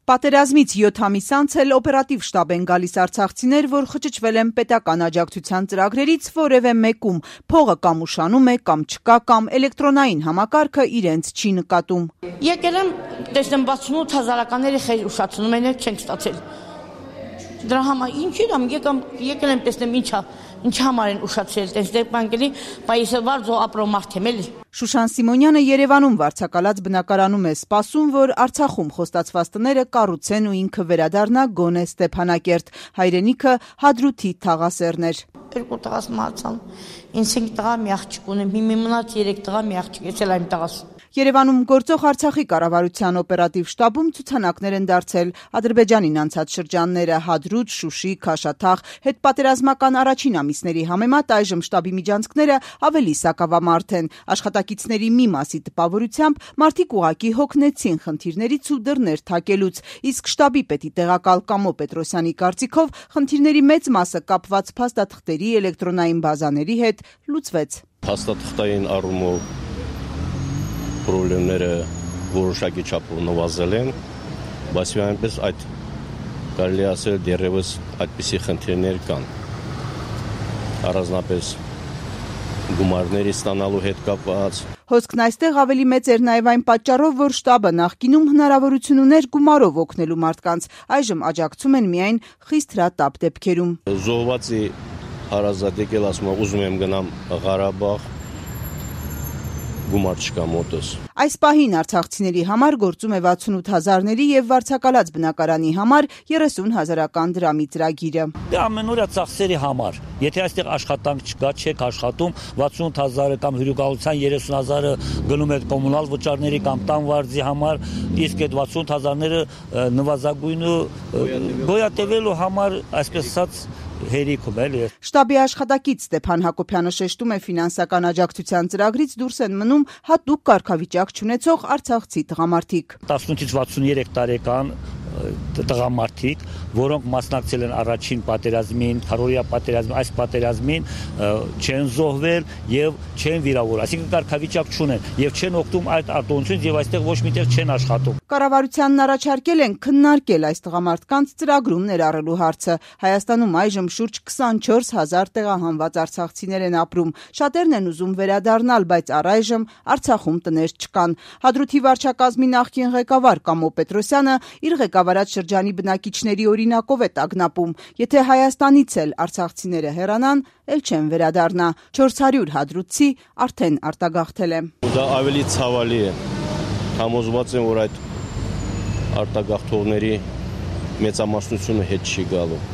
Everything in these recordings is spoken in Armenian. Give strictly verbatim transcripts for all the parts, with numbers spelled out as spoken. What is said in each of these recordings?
Պատերազմից յոթ ամիս անց էլ օպերատիվ շտաբ են գալիս արցախցիներ, որ խճճվել են պետական աջակցության ծրագրերից որևէ մեկում, փողը կամ ուշանում է, կամ չկա, կամ էլեկտրոնային համակարգը իրենց չի նկատում։ Եկել եմ, տեսնեմ վաթսունութ հազարականների խեր ուշացնում են, չենք ստացել։ Դրա համար ինչի՞ դամ եկամ, եկել եմ տեսնեմ ինչա, ինչ համար են ուշացել, տեսնեք բանկելի, պայիսը վարձո ապրո մարդ եմ էլի։ Շուշան Սիմոնյանը Երևանում վարձակալած բնակարանում է սպասում, որ Արցախում խոստացված տները կառուցեն ու ինքը վերադառնա գոնե Ստեփանակերտ, հայրենիքը Հադրութի թաղասերն էր։ Երկու տղաս մահացան, ինձ ինք տղա մի աղջիկ ունեմ, մի մնաց երեք տղա մի աղջիկ, ես էլ այն տղաս։ Երևանում գործող Արցախի կառավարության օպերատիվ շտաբում ցուցանակներ են դարձել Ադրբեջանին անցած շրջանները, Հադրութ, Շուշի, Քաշաթաղ, հետպատերազմական առաջին ամիսների համեմատ այժմ շտաբի միջանցքները ավելի սակավամարդ են։ Աշխատակիցների մի մասի տպավորությամբ մարդիկ ուղակի հոգնեցին խնդիրներից ու դռներ թակելուց, իսկ շտաբի պետի տեղակալ Կամո Պետրոսյանի կարծիքով խնդիրների մեծ մասը կապված փաստաթղթերի էլեկտրոնային բազաների հետ լուծվեց։ Փաստաթղթային առումով պրոբլեմները որոշակի չափով նվազել են, բայց այնպես այդ կարելի ասել դեռևս այդպիսի խնդիրներ կան։ Առանձնապես գումարների ստանալու հետ կապված։ Հոսքն այստեղ ավելի մեծ էր նաև այն պատճառով, որ շտաբը նախկինում հնարավորություն ուներ գումարով օգնելու մարդկանց, այժմ աջակցում են միայն խիստ հրատապ դեպքերում։ Զոհվածի հարազատ եկել ասում է ուզում եմ գնամ Ղարաբաղ, գումար չկա մոտս։ Այս պահին արցախցիների համար գործում է վաթսունութ հազարների եւ վարձակալած բնակարանի համար երեսուն հազարական դրամի ծրագիրը։ Դե ամենօրյա ծախսերի համար, եթե այստեղ աշխատանք չկա, չեք աշխատում, վաթսունութ հազարը կամ հյուրընկալության երեսուն հազարը գնում եք կոմունալ վճարների կամ տան վարձի համար, իսկ այդ վաթսունութ հազարները նվազագույնը գոյատևելու համար, այսպես ասած, հերիքում էլի։ Շտաբի աշխատակից Ստեփան Հակոբյանը շեշտում է ֆինանսական աջակցության ծրագրից դուրս են մնում հատուկ կարգավիճակ չունեցող արցախցի տղամարդիկ։ տասնութից վաթսուներեք տարեկան տղամարդիկ, որոնք մասնակցել են առաջին պատերազմին, քառօրյա պատերազմին, այս պատերազմին չեն զոհվել եւ չեն վիրավորվել, այսինքն կարգավիճակ չունեն եւ չեն օգտվում այդ արտոնությունից եւ այստեղ ոչ միտեղ չեն աշխատում։ Կառավարությանն առաջարկել են քննարկել այս տղամարդկանց ծրագրում ներառելու հարցը։ Հայաստանում այժմ շուրջ քսանչորս հազար տեղահանված արցախցիներ են ապրում։ Շատերն են ուզում վերադառնալ, բայց առայժմ Արցախում տներ չկան։ Հադրութի վարչակազմի նախկին ղեկավար Կամո Պետրոսյանը իր ղեկավարած շրջանի բնակիչների օրինակով է տագնապում։ Եթե Հայաստանից էլ արցախցիները հեռանան, էլ չեն վերադառնա։ չորս հարյուր հադրութցի արդեն արտագաղթել է։ Դա ավելի ցավալի է։ Համոզված եմ, որ այդ արտագաղթողների մեծամասնությունը հետ չի գալու։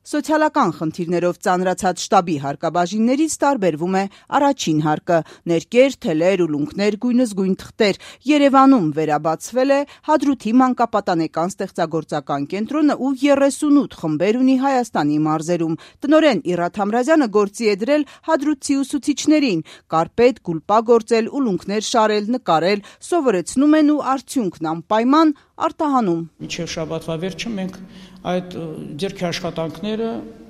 Սոցիալական խնդիրներով ծանրացած շտաբի հարկաբաժիններից տարբերվում է առաջին հարկը՝ ներկեր, թելեր, ուլունքներ, գույնզգույն թղթեր։ Երևանում վերաբացվել է Հադրութի մանկապատանեկան ստեղծագործական կենտրոնը ու երեսունութ խմբեր ունի Հայաստանի մարզերում։ Տնօրեն Իռաթ Համրազյանը գործի է դրել հադրութցի ուսուցիչներին՝ կարպետ, գուլպա գործել, ուլունքներ շարել, նկարել, սովորեցնում են ու արդյունքն անպայման արտահանում։ Մինչև շաբաթվա վերջը մենք այդ ձեռքի աշխատանքները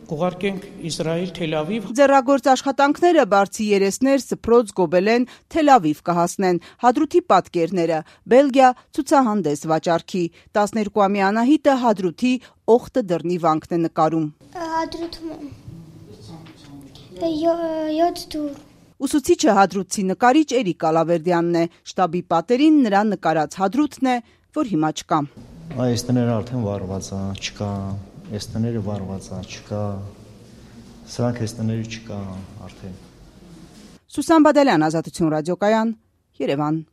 կուղարկենք Իսրայել, Թել Ավիվ։ Ձեռագործ աշխատանքները բարձի երեսներ, սփռոց, գոբելեն, Թել Ավիվ կհասնեն։ Հադրութի պատկերները Բելգիա ցուցահանդես վաճառքի։ տասներկուամյա Անահիտը Հադրութի օխտը դռնի վանքն է նկարում։ Հադրութում յոթ դուր։ Ուսուցիչը հադրութցի նկարիչ Էրիկ Ալավերդյանն է։ Շտաբի պատերին նրա նկարած հադրութն է, որ հիմա չկա։ Այս տները արդեն վառված է, չկա, այս տները վառված է, չկա, սրանք այս տները չկա արդեն։ Սուսան Բադալյան, Ազատություն ռադիոկայան, Երևան։